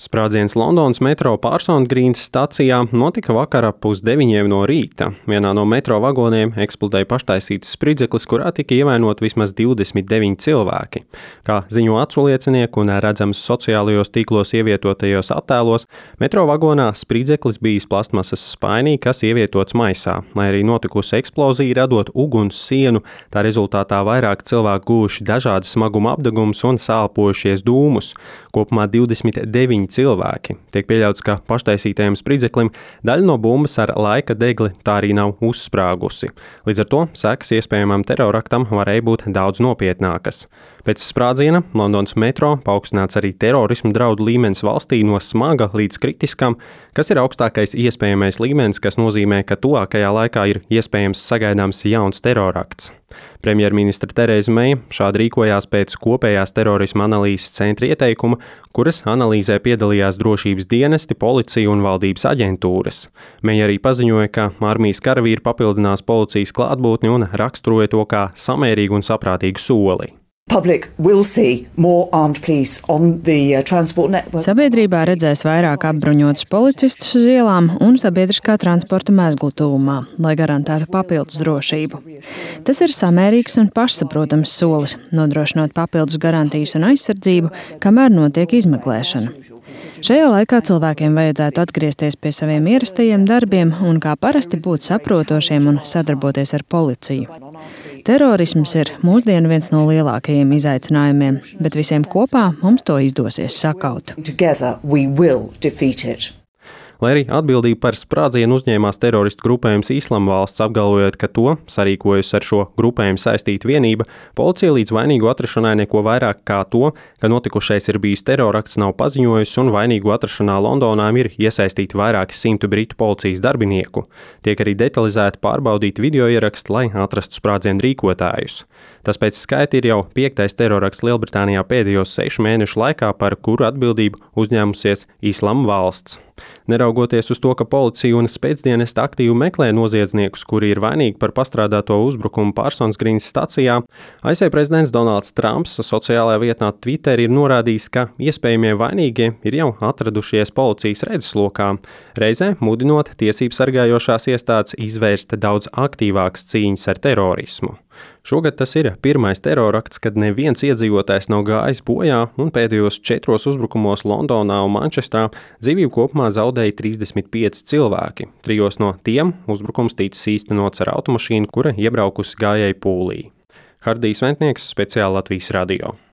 Sprādziens Londonas metro Parsons Green stacijā notika vakar ap 8:30 no rīta. Vienā no metro vagoniem eksplodēja paštaisīts spridzeklis, kurā tika ievainoti vismaz 29 cilvēki. Kā ziņo aculiecinieki un redzams sociālajos tīklos ievietotajos attēlos, metro vagonā spridzeklis bijis plastmasas spainī, kas ievietots maisā. Lai arī notikusi eksplozija, radot uguns sienu, tā rezultātā vairāk cilvēku guvuši dažādas smaguma apdegumus un sālpojušies dūmus. Kopumā 29 cilvēki. Tiek pieļauts, ka paštaisītajam spridzeklim daļa no bumbas ar laika degli tā arī nav uzsprāgusi. Līdz ar to sekas iespējamam teroraktam varēja būt daudz nopietnākas. Pēc sprādziena Londonas metro paaugstināts arī terorismu draudu līmenis valstī no smaga līdz kritiskam, kas ir augstākais iespējamais līmenis, kas nozīmē, ka tuvākajā laikā ir iespējams sagaidāms jauns terorakts. Premjerministra Tereza Meija šādi rīkojās pēc kopējās terorisma analīzes centra ieteikuma, kuras analīzē piedalījās drošības dienesti, policija un valdības aģentūras. Meija arī paziņoja, ka armijas karavīri papildinās policijas klātbūtni un raksturoja to kā samērīgu un saprātīgu soli. Sabiedrībā redzēs vairāk apbruņotus policistus uz ielām un sabiedriskā transporta mezglu tuvumā, lai garantētu papildus drošību. Tas ir samērīgs un pašsaprotams solis, nodrošinot papildus garantijas un aizsardzību, kamēr notiek izmeklēšana. Šajā laikā cilvēkiem vajadzētu atgriezties pie saviem ierastajiem darbiem un kā parasti būt saprotošiem un sadarboties ar policiju. Terorisms ir mūsdienu viens no lielākajiem izaicinājumiem, bet visiem kopā mums to izdosies sakaut. Lai arī atbildību par sprādzienu uzņēmās teroristu grupējums Islama valsts, apgalvojot, ka to sarīkojusi ar šo grupējumu saistīta vienība, policija līdz vainīgu atrašanai neko vairāk kā to, ka notikušais ir bijis terorakts, nav paziņojusi, un vainīgu atrašanā Londonā ir iesaistīti vairāki simti britu policijas darbinieku. Tiek arī detalizēti pārbaudīti video ieraksti, lai atrastu sprādzienu rīkotājus. Tas pēc skaita ir jau 5. terorakts Lielbritānijā pēdējos 6 mēnešu laikā, par kuru atbildību uzņēmusies Islama valsts. Neraugoties uz to, ka policija un spēcdienesti aktīvi meklē noziedzniekus, kuri ir vainīgi par pastrādāto uzbrukumu Parsons Green stacijā, ASV prezidents Donalds Trumps sociālajā vietnē Twitter ir norādījis, ka iespējamie vainīgie ir jau atradušies policijas redzeslokā, reizē mudinot tiesību sargājošās iestādes izvērst daudz aktīvākas cīņas ar terorismu. Šogad tas ir pirmais terorakts, kad neviens iedzīvotājs nav gājis bojā, un pēdējos 4 uzbrukumos Londonā un Mančestrā dzīvību kopumā zaudēja 35 cilvēki. 3 no tiem uzbrukums ticis īstenots ar automašīnu, kura iebraukusi gājēju pūlī. Hardijs Ventnieks, speciāli Latvijas radio.